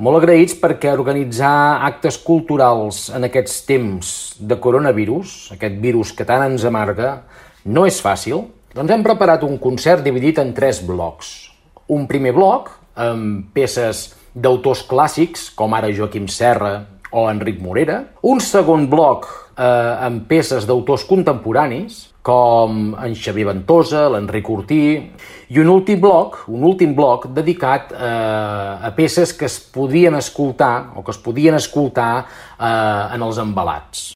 Molt agraïts perquè organitzar actes culturals en aquests temps de coronavirus, aquest virus que tant ens amarga, no és fàcil. Doncs hem preparat un concert dividit en 3 blocs. Un primer bloc amb peces d'autors clàssics, com ara Joaquim Serra o Enric Morera. Un segon bloc amb peces d'autors contemporanis, com en Xavier Ventosa, l'Enric Ortí, i un últim bloc dedicat a peces que es podien escoltar en els embalats.